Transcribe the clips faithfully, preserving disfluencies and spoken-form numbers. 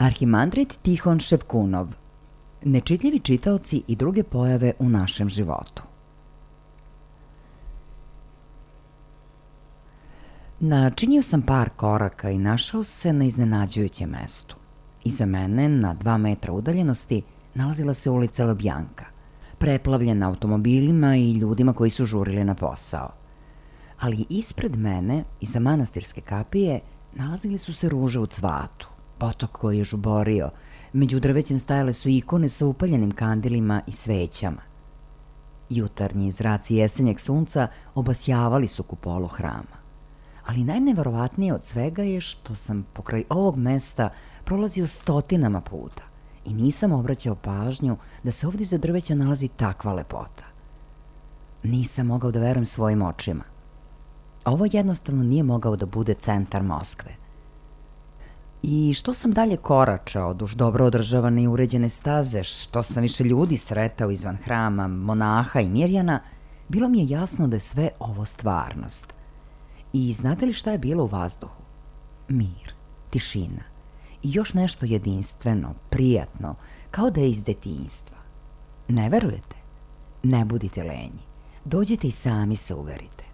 Arhimandrit Tihon Ševkunov. Nečitljivi čitaoci i druge pojave u našem životu. Načinio sam par koraka i našao se na iznenađujućem mestu. Iza mene, na dva metra udaljenosti, nalazila se ulica Lubjanka, preplavljena automobilima i ljudima koji su žurili na posao. Ali ispred mene, iza manastirske kapije, nalazili su se ruže u cvatu, potok koji je žuborio, među drvećem stajale su ikone sa upaljenim kandilima i svećama. Jutarnji zraci jesenjeg sunca obasjavali su kupolu hrama. Ali najneverovatnije od svega je što sam pokraj ovog mesta prolazio stotinama puta i nisam obraćao pažnju da se ovdje iza drveća nalazi takva lepota. Nisam mogao da verujem svojim očima. Ovo jednostavno nije mogao da bude centar Moskve. I što sam dalje koračao duž dobro održavane i uređene staze, što sam više ljudi sretao izvan hrama, monaha i mirjana, bilo mi je jasno da je sve ovo stvarnost. I znate li šta je bilo u vazduhu? Mir, tišina i još nešto jedinstveno, prijatno, kao da je iz detinjstva. Ne verujete? Ne budite lenji. Dođite i sami se uverite.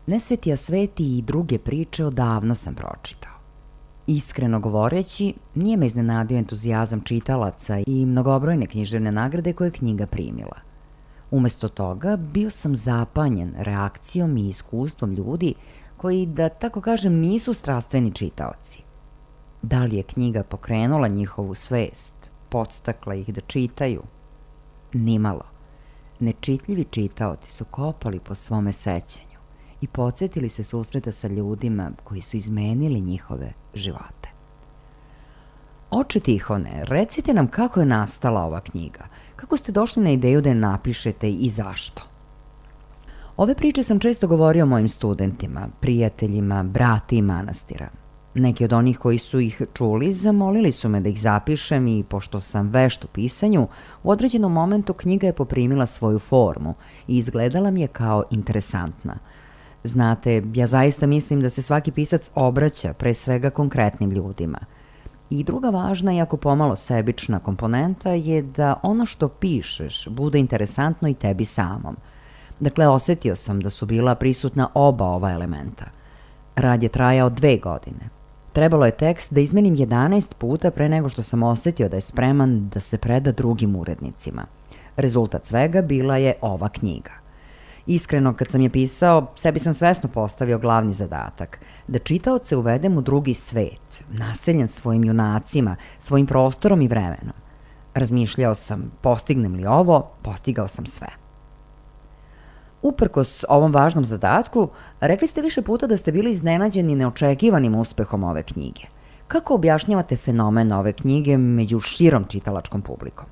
Nesvetija sveti i druge priče odavno sam pročitao. Iskreno govoreći, nije me iznenadio entuzijazam čitalaca i mnogobrojne književne nagrade koje je knjiga primila. Umesto toga, bio sam zapanjen reakcijom i iskustvom ljudi koji, da tako kažem, nisu strastveni čitaoci. Da li je knjiga pokrenula njihovu svest, podstakla ih da čitaju? Nimalo. Nečitljivi čitaoci su kopali po svome sećanju i podsjetili se susreta sa ljudima koji su izmenili njihove živote. Oče Tihone, recite nam kako je nastala ova knjiga. Kako ste došli na ideju da je napišete i zašto? Ove priče sam često govorio mojim studentima, prijateljima, brati i manastira. Neki od onih koji su ih čuli zamolili su me da ih zapišem i pošto sam vešt u pisanju, u određenom momentu knjiga je poprimila svoju formu i izgledala mi je kao interesantna. Znate, ja zaista mislim da se svaki pisac obraća pre svega konkretnim ljudima. I druga važna, iako pomalo sebična komponenta, je da ono što pišeš bude interesantno i tebi samom. Dakle, osetio sam da su bila prisutna oba ova elementa. Rad je trajao dve godine. Trebalo je tekst da izmenim jedanaest puta pre nego što sam osetio da je spreman da se preda drugim urednicima. Rezultat svega bila je ova knjiga. Iskreno, kad sam je pisao, sebi sam svesno postavio glavni zadatak, da čitaoce uvedem u drugi svet, naseljen svojim junacima, svojim prostorom i vremenom. Razmišljao sam, postignem li ovo, postigao sam sve. Uprkos ovom važnom zadatku, rekli ste više puta da ste bili iznenađeni neočekivanim uspehom ove knjige. Kako objašnjavate fenomen ove knjige među širom čitalačkom publikom?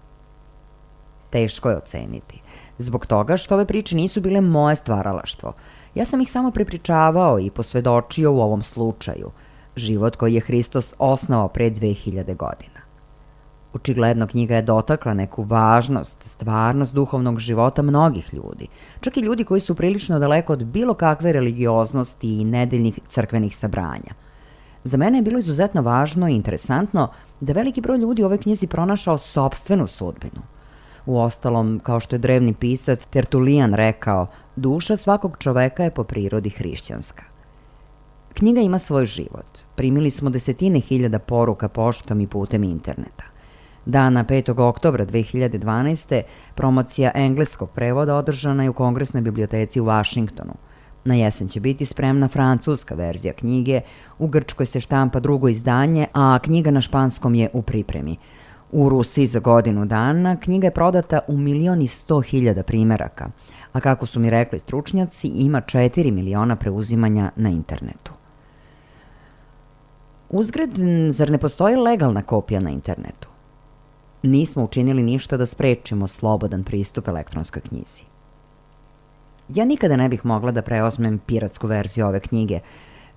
Teško je oceniti. Zbog toga što ove priče nisu bile moje stvaralaštvo. Ja sam ih samo prepričavao i posvedočio u ovom slučaju. Život koji je Hristos osnovao pre dve hiljade godina. Očigledno knjiga je dotakla neku važnost, stvarnost duhovnog života mnogih ljudi. Čak i ljudi koji su prilično daleko od bilo kakve religioznosti i nedeljnih crkvenih sabranja. Za mene je bilo izuzetno važno i interesantno da veliki broj ljudi u ovoj knjizi pronašao sopstvenu sudbinu. Uostalom, kao što je drevni pisac Tertulijan rekao, duša svakog čoveka je po prirodi hrišćanska. Knjiga ima svoj život. Primili smo desetine hiljada poruka poštom i putem interneta. Dana petog oktobra dve hiljade dvanaeste. promocija engleskog prevoda održana je u Kongresnoj biblioteci u Vašingtonu. Na jesen će biti spremna francuska verzija knjige, u Grčkoj se štampa drugo izdanje, a knjiga na španskom je u pripremi. U Rusiji za godinu dana knjiga je prodata u milion i sto hiljada primeraka, a kako su mi rekli stručnjaci, ima četiri miliona preuzimanja na internetu. Uzgred, zar ne postoji legalna kopija na internetu? Nismo učinili ništa da sprečimo slobodan pristup elektronskoj knjizi. Ja nikada ne bih mogla da preozmem piratsku verziju ove knjige.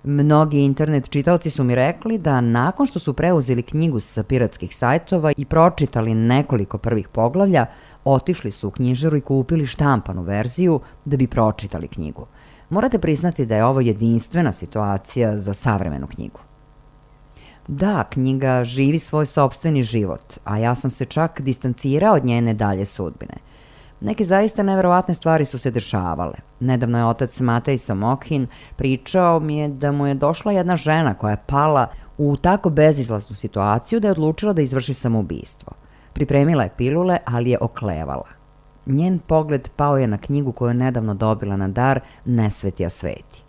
Mnogi internet čitaoci su mi rekli da nakon što su preuzeli knjigu sa piratskih sajtova i pročitali nekoliko prvih poglavlja, otišli su u knjižaru i kupili štampanu verziju da bi pročitali knjigu. Morate priznati da je ovo jedinstvena situacija za savremenu knjigu. Da, knjiga živi svoj sopstveni život, a ja sam se čak distancirao od njene dalje sudbine. Neke zaista neverovatne stvari su se dešavale. Nedavno je otac Matej Somokhin pričao mi je da mu je došla jedna žena koja je pala u tako bezizlaznu situaciju da je odlučila da izvrši samoubistvo. Pripremila je pilule, ali je oklevala. Njen pogled pao je na knjigu koju je nedavno dobila na dar Nesveti a sveti.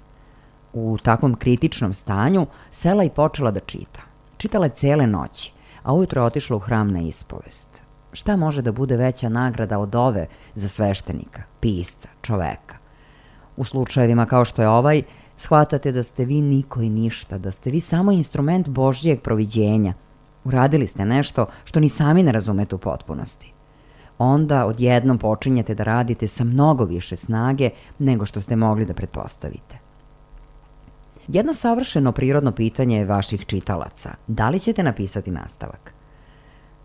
U takvom kritičnom stanju sela i počela da čita. Čitala je cele noći, a ujutro je otišla u hram na ispovest. Šta može da bude veća nagrada od ove za sveštenika, pisca, čoveka? U slučajevima kao što je ovaj, shvatate da ste vi niko i ništa, da ste vi samo instrument Božjeg proviđenja. Uradili ste nešto što ni sami ne razumete u potpunosti. Onda odjednom počinjete da radite sa mnogo više snage nego što ste mogli da pretpostavite. Jedno savršeno prirodno pitanje je vaših čitalaca. Da li ćete napisati nastavak?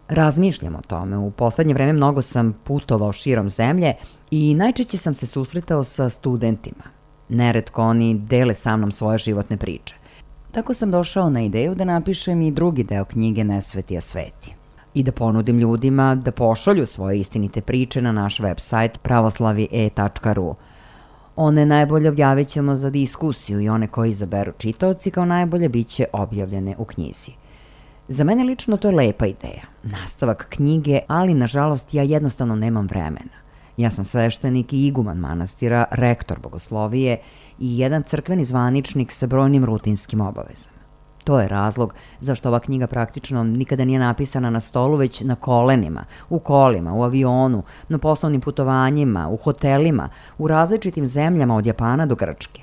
Razmišljam o tome. U poslednje vreme mnogo sam putovao širom zemlje i najčešće sam se susretao sa studentima. Neretko oni dele sa mnom svoje životne priče. Tako sam došao na ideju da napišem i drugi deo knjige Nesveti a sveti i da ponudim ljudima da pošalju svoje istinite priče na naš website pravoslavi e tačka ru. One najbolje objavit ćemo za diskusiju i one koji izaberu čitaoci kao najbolje bit će objavljene u knjizi. Za mene lično to je lepa ideja, nastavak knjige, ali nažalost ja jednostavno nemam vremena. Ja sam sveštenik i iguman manastira, rektor bogoslovije i jedan crkveni zvaničnik sa brojnim rutinskim obavezama. To je razlog zašto ova knjiga praktično nikada nije napisana na stolu, već na kolenima, u kolima, u avionu, na poslovnim putovanjima, u hotelima, u različitim zemljama od Japana do Grčke.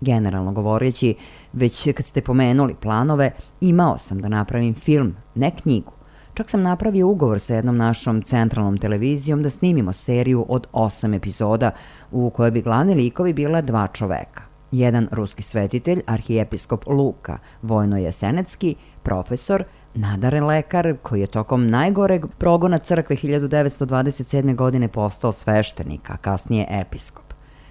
Generalno govoreći, već kad ste pomenuli planove, imao sam da napravim film, ne knjigu. Čak sam napravio ugovor sa jednom našom centralnom televizijom da snimimo seriju od osam epizoda u kojoj bi glavni likovi bila dva čoveka. Jedan ruski svetitelj, arhijepiskop Luka Vojno-Jesenecki, profesor, nadaren lekar koji je tokom najgoreg progona crkve hiljadu devetsto dvadeset sedme. godine postao sveštenik, a kasnije episkop.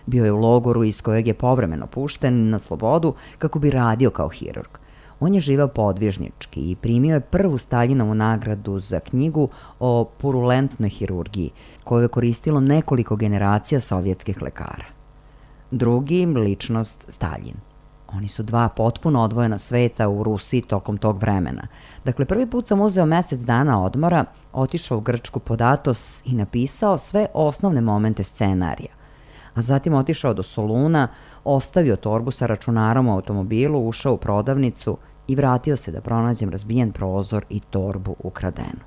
Bio je u logoru iz kojeg je povremeno pušten na slobodu kako bi radio kao hirurg. On je živeo podvižnički i primio je prvu Staljinovu nagradu za knjigu o purulentnoj hirurgiji, koju je koristilo nekoliko generacija sovjetskih lekara. Drugi, ličnost Staljin. Oni su dva potpuno odvojena sveta u Rusiji tokom tog vremena. Dakle, prvi put sam uzeo mesec dana odmora, otišao u Grčku pod Atos i napisao sve osnovne momente scenarija. A zatim otišao do Soluna, ostavio torbu sa računarom u automobilu, ušao u prodavnicu i vratio se da pronađem razbijen prozor i torbu ukradenu.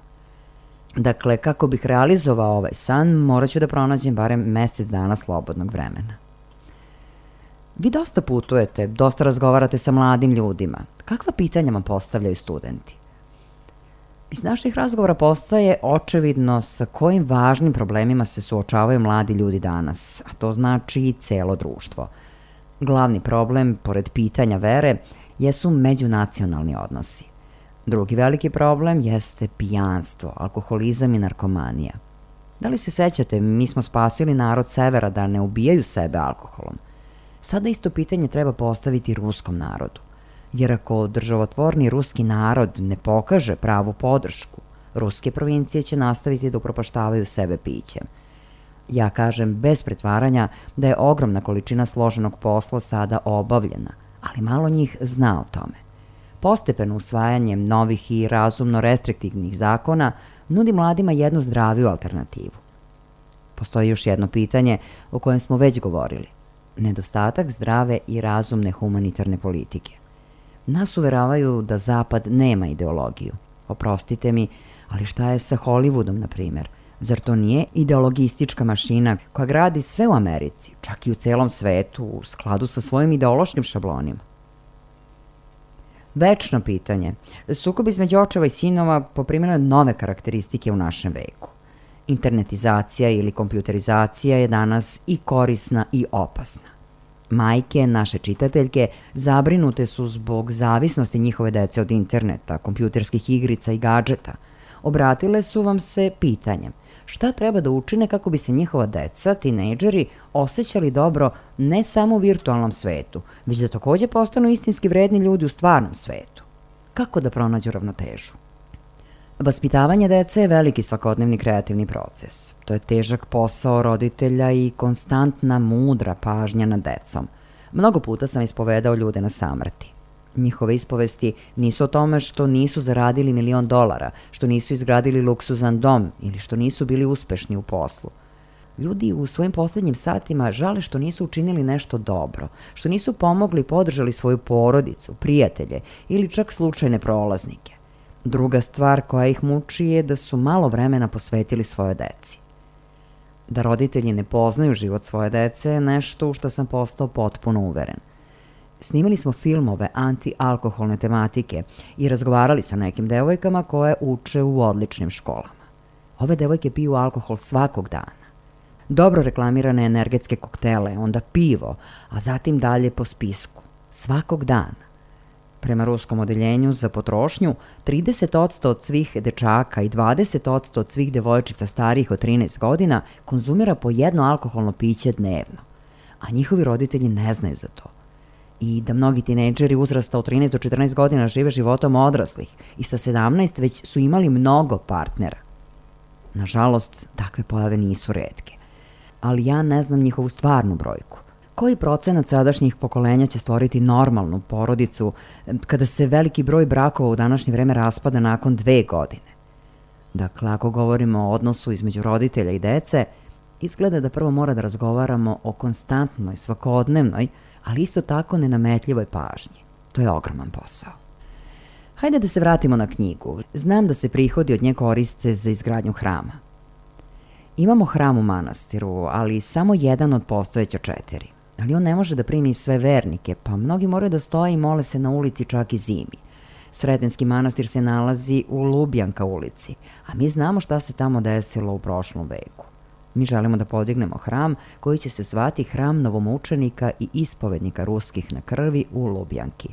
Dakle, kako bih realizovao ovaj san, morat ću da pronađem barem mesec dana slobodnog vremena. Vi dosta putujete, dosta razgovarate sa mladim ljudima. Kakva pitanja vam postavljaju studenti? Iz naših razgovora postaje očevidno sa kojim važnim problemima se suočavaju mladi ljudi danas, a to znači i celo društvo. Glavni problem, pored pitanja vere, jesu međunacionalni odnosi. Drugi veliki problem jeste pijanstvo, alkoholizam i narkomanija. Da li se sećate, mi smo spasili narod severa da ne ubijaju sebe alkoholom. Sada isto pitanje treba postaviti ruskom narodu. Jer ako državotvorni ruski narod ne pokaže pravu podršku, ruske provincije će nastaviti da upropaštavaju sebe pićem. Ja kažem bez pretvaranja da je ogromna količina složenog posla sada obavljena, ali malo njih zna o tome. Postepeno usvajanjem novih i razumno restriktivnih zakona nudi mladima jednu zdraviju alternativu. Postoji još jedno pitanje o kojem smo već govorili. Nedostatak zdrave i razumne humanitarne politike. Nas uveravaju da Zapad nema ideologiju. Oprostite mi, ali šta je sa Hollywoodom, na primjer? Zar to nije ideologistička mašina koja gradi sve u Americi, čak i u celom svetu, u skladu sa svojim ideološkim šablonima? Večno pitanje. Sukob između očeva i sinova poprimilo je nove karakteristike u našem veku. Internetizacija ili kompjuterizacija je danas i korisna i opasna. Majke, naše čitateljke, zabrinute su zbog zavisnosti njihove dece od interneta, kompjuterskih igrica i gadžeta. Obratile su vam se pitanjem šta treba da učine kako bi se njihova deca, tinejdžeri, osjećali dobro ne samo u virtualnom svetu, već da takođe postanu istinski vredni ljudi u stvarnom svetu. kako da pronađu ravnotežu. Vaspitavanje dece je veliki svakodnevni kreativni proces. To je težak posao roditelja i konstantna, mudra pažnja nad decom. Mnogo puta sam ispovedao ljude na samrti. Njihove ispovesti nisu o tome što nisu zaradili milion dolara, što nisu izgradili luksuzan dom ili što nisu bili uspešni u poslu. Ljudi u svojim poslednjim satima žale što nisu učinili nešto dobro, što nisu pomogli i podržali svoju porodicu, prijatelje ili čak slučajne prolaznike. Druga stvar koja ih muči je da su malo vremena posvetili svoje deci. Da roditelji ne poznaju život svoje dece je nešto u što sam postao potpuno uveren. Snimali smo filmove anti-alkoholne tematike i razgovarali sa nekim devojkama koje uče u odličnim školama. Ove devojke piju alkohol svakog dana. Dobro reklamirane energetske koktele, onda pivo, a zatim dalje po spisku. Svakog dana. Prema ruskom odeljenju za potrošnju, trideset posto od svih dečaka i dvadeset posto od svih devojčica starijih od trinaest godina konzumira po jedno alkoholno piće dnevno, a njihovi roditelji ne znaju za to. I da mnogi tinejdžeri uzrasta od trinaest do četrnaest godina žive životom odraslih i sa sedamnaest već su imali mnogo partnera. Nažalost, takve pojave nisu retke. Ali ja ne znam njihovu stvarnu brojku. Koji procenat sadašnjih pokolenja će stvoriti normalnu porodicu kada se veliki broj brakova u današnje vreme raspada nakon dve godine? Dakle, ako govorimo o odnosu između roditelja i dece, izgleda da prvo mora da razgovaramo o konstantnoj, svakodnevnoj, ali isto tako nenametljivoj pažnji. To je ogroman posao. Hajde da se vratimo na knjigu. Znam da se prihodi od nje koriste za izgradnju hrama. Imamo hram u manastiru, ali samo jedan od postojeća četiri. Ali on ne može da primi sve vernike, pa mnogi moraju da stoje i mole se na ulici čak i zimi. Sretenski manastir se nalazi u Lubjanka ulici, a mi znamo šta se tamo desilo u prošlom veku. Mi želimo da podignemo hram koji će se zvati Hram novomučenika i ispovednika ruskih na krvi u Lubjanki.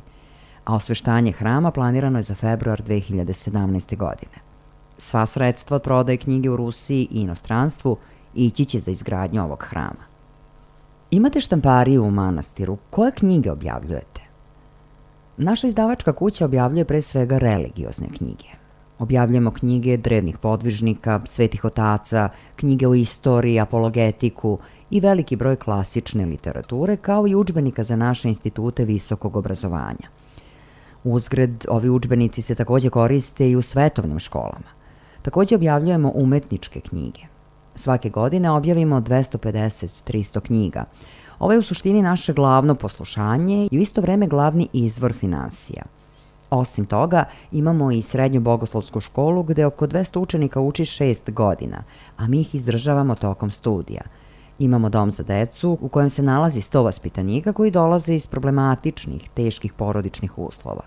A osveštanje hrama planirano je za februar dve hiljade sedamnaeste. godine. Sva sredstva od prodaje knjige u Rusiji i inostranstvu ići će za izgradnju ovog hrama. Imate štampariju u manastiru. Koje knjige objavljujete? Naša izdavačka kuća objavljuje pre svega religiozne knjige. Objavljujemo knjige drevnih podvižnika, svetih otaca, knjige o istoriji, apologetiku i veliki broj klasične literature, kao i udžbenika za naše institute visokog obrazovanja. Uzgred, ovi udžbenici se takođe koriste i u svetovnim školama. Takođe objavljujemo umetničke knjige. Svake godine objavimo dvesta pedeset do trista knjiga. Ovo je u suštini naše glavno poslušanje i u isto vreme glavni izvor finansija. Osim toga, imamo i srednju bogoslovsku školu gde oko dvesta učenika uči šest godina, a mi ih izdržavamo tokom studija. Imamo dom za decu u kojem se nalazi sto vaspitanika koji dolaze iz problematičnih, teških porodičnih uslova.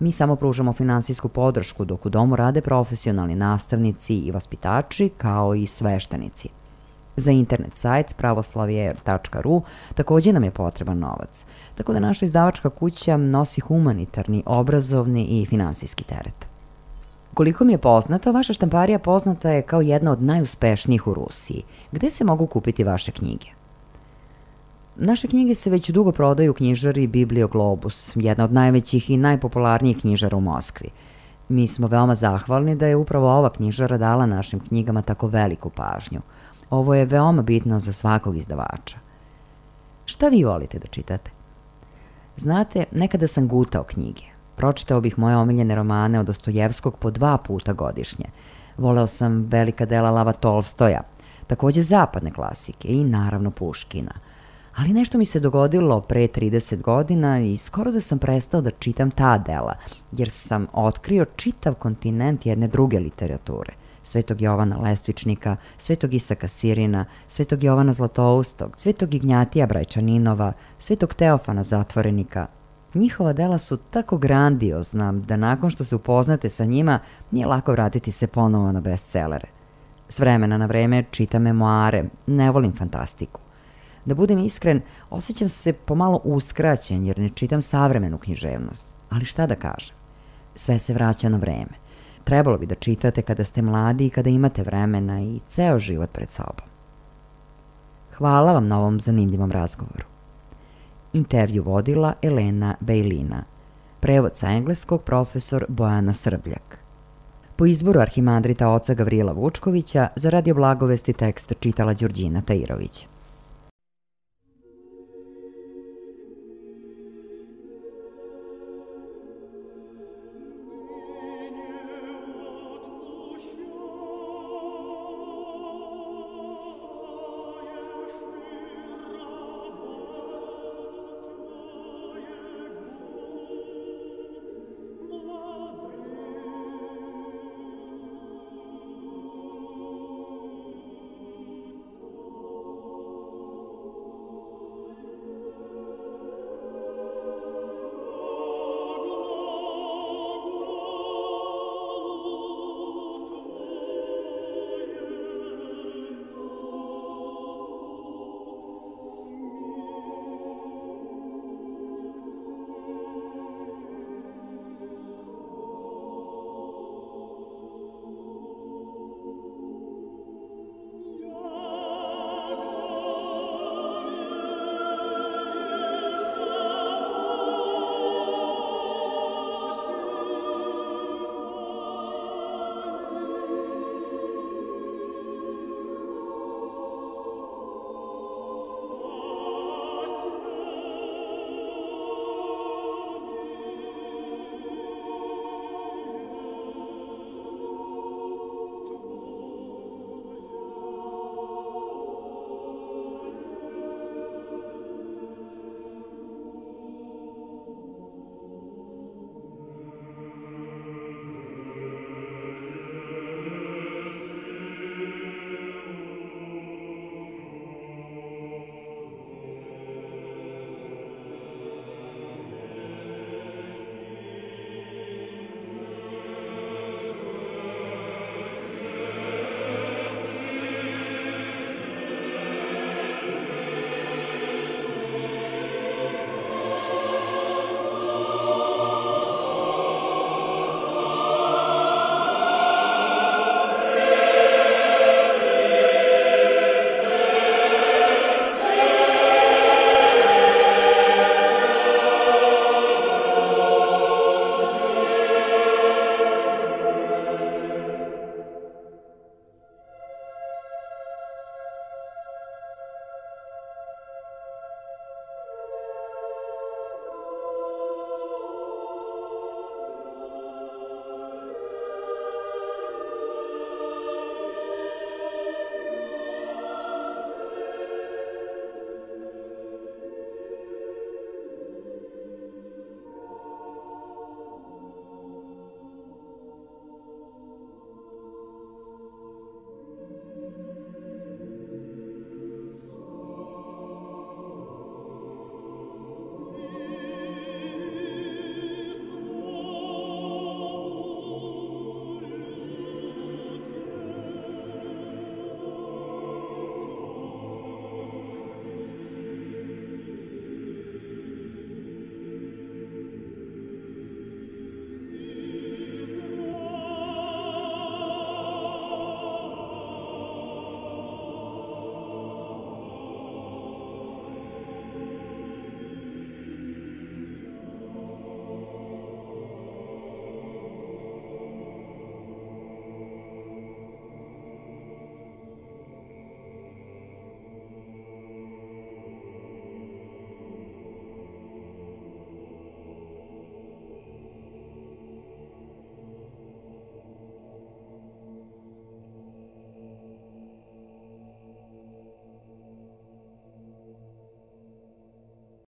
Mi samo pružamo finansijsku podršku dok u domu rade profesionalni nastavnici i vaspitači kao i sveštenici. Za internet sajt pravoslavje tačka ru takođe nam je potreban novac, tako da naša izdavačka kuća nosi humanitarni, obrazovni i finansijski teret. Koliko mi je poznato, vaša štamparija poznata je kao jedna od najuspešnijih u Rusiji. Gde se mogu kupiti vaše knjige? Naše knjige se već dugo prodaju u knjižari Biblioglobus, jedna od najvećih i najpopularnijih knjižara u Moskvi. Mi smo veoma zahvalni da je upravo ova knjižara dala našim knjigama tako veliku pažnju. Ovo je veoma bitno za svakog izdavača. Šta vi volite da čitate? Znate, nekada sam gutao knjige. Pročitao bih moje omiljene romane od Dostojevskog po dva puta godišnje. Voleo sam velika dela Lava Tolstoja, takođe zapadne klasike i naravno Puškina. Ali nešto mi se dogodilo pre trideset godina i skoro da sam prestao da čitam ta dela, jer sam otkrio čitav kontinent jedne druge literature. Svetog Jovana Lestvičnika, Svetog Isaka Sirina, Svetog Jovana Zlatoustog, Svetog Ignjatija Brajčaninova, Svetog Teofana Zatvorenika. Njihova dela su tako grandiozna da nakon što se upoznate sa njima nije lako vratiti se ponovo na bestselere. S vremena na vreme čitam memoare, ne volim fantastiku. Da budem iskren, osjećam se pomalo uskraćen jer ne čitam savremenu književnost. Ali šta da kažem? Sve se vraća na vreme. Trebalo bi da čitate kada ste mladi i kada imate vremena i ceo život pred sobom. Hvala vam na ovom zanimljivom razgovoru. Intervju vodila Elena Bejlina. Prevod sa engleskog profesor Bojana Srbljak. Po izboru arhimandrita oca Gavrila Vučkovića za Radio Blagovesti tekst čitala Đurđina Tairović.